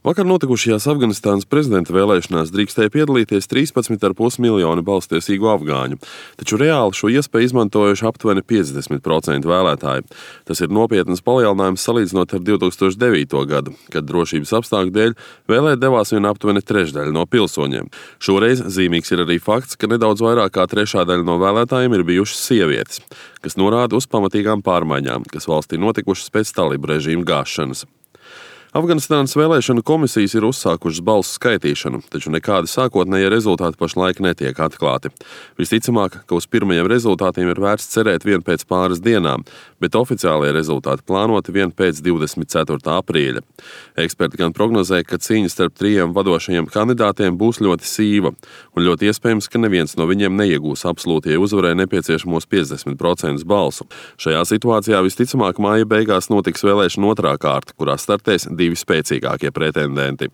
Vakar notikušajās Afganistānas prezidenta vēlēšanās drīkstēja piedalīties 13,5 miljoni balsstiesīgu afgāņu, taču reāli šo iespēju izmantojuši aptuveni 50% vēlētāji. Tas ir nopietnas palielinājums salīdzinot ar 2009. gadu, kad drošības apstākļu dēļ vēlēt devās vien aptuveni trešdaļa no pilsoņiem. Šoreiz zīmīgs ir arī fakts, ka nedaudz vairāk kā trešā daļa no vēlētājiem ir bijušas sievietes, kas norāda uz pamatīgām pārmaiņām, kas valstī notikušas pēc talibu režīma gāšanas. Afganistānas vēlēšanu komisijas ir uzsākušas balsu skaitīšanu, taču nekādi sākotnējie rezultāti pašlaik netiek atklāti. Visticamāk, ka uz pirmajiem rezultātiem ir vērts cerēt vien pēc pāris dienām, bet oficiālie rezultāti plānoti vien pēc 24. aprīļa. Eksperti gan prognozē, ka cīņa starp trijiem vadošajiem kandidātiem būs ļoti sīva, un ļoti iespējams, ka neviens no viņiem neiegūs absolūtie uzvarai nepieciešamos 50% balsu. Šajā situācijā visticamāk māja beigās notiks vēlēšana otrā kārta, kurā startēs divi spēcīgākie pretendenti.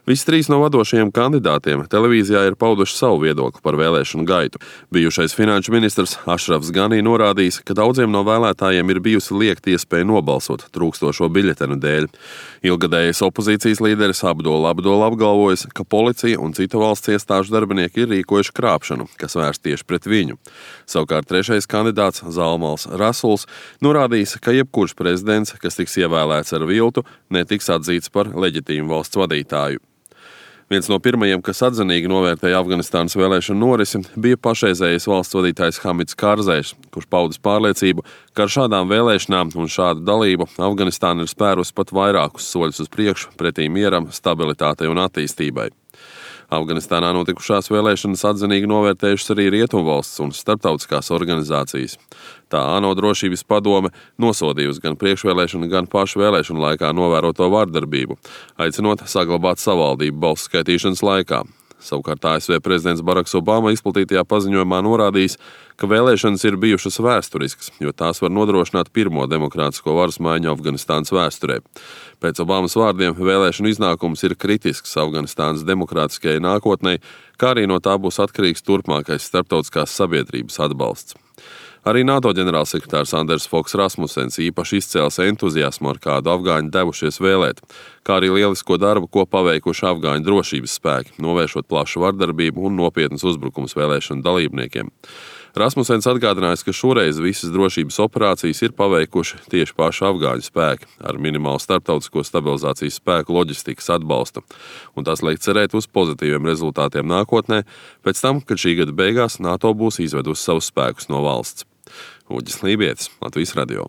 Visi trīs no vadošajiem kandidātiem televīzijā ir pauduši savu viedokli par vēlēšanu gaitu. Bijušais finanšu ministrs Ašrafs Ganī norādījis, ka daudziem no vēlētājiem ir bijusi liekta iespēja nobalsot trūkstošo biļetenu dēļ. Ilgadējais opozīcijas līderis Abdul apgalvojis, ka policija un citu valsts iestāžu darbinieki ir rīkojuši krāpšanu, kas vērsts tieši pret viņu. Savukārt trešais kandidāts Zalmals Rasuls norādījis, ka jebkurš prezidents, kas tiks ievēlēts ar viltu, netiks atzīts par leģitīmu valsts vadītāju. Viens no pirmajiem, kas atzinīgi novērtēja Afganistānas vēlēšanu norisi, bija pašreizējais valsts vadītājs Hamids Kārzais, kurš paudis pārliecību, ka ar šādām vēlēšanām un šādu dalību Afganistāna ir spērusi pat vairākus soļus uz priekšu pretī mieram, stabilitātei un attīstībai. Afganistānā notikušās vēlēšanas atzinīgi novērtējušas arī Rietumvalsts un starptautiskās organizācijas. Tā ANO drošības padome nosodījusi gan priekšvēlēšanu, gan pašu vēlēšanu laikā novēroto vardarbību, aicinot saglabāt savaldību balsu skaitīšanas laikā. Savukārt ASV prezidents Baraks Obama izplatītajā paziņojumā norādījis, ka vēlēšanas ir bijušas vēsturiskas, jo tās var nodrošināt pirmo demokrātisko varas maiņu Afganistānas vēsturē. Pēc Obamas vārdiem vēlēšanu iznākums ir kritisks Afganistānas demokrātiskajai nākotnei, kā arī no tā būs atkarīgs turpmākais starptautiskās sabiedrības atbalsts. Arī NATO ģenerālsekretārs Anders Foks Rasmussens īpaši izcēls entuziasmu, ar kādu afgāņi devušies vēlēt, kā arī lielisko darbu, ko paveikuši afgāņu drošības spēki, novēršot plašu vardarbību un nopietnas uzbrukums vēlēšanu dalībniekiem. Rasmussens atgādinājis, ka šoreiz visas drošības operācijas ir paveikuši tieši paši afgāņu spēki ar minimālu starptautisko stabilizācijas spēku loģistikas atbalstu, un tas liek cerēt uz pozitīviem rezultātiem nākotnē, pēc tam, kad šī gada beigās NATO būs izvedusi savus spēkus no valsts. Uģis Lībietis, Latvijas radio.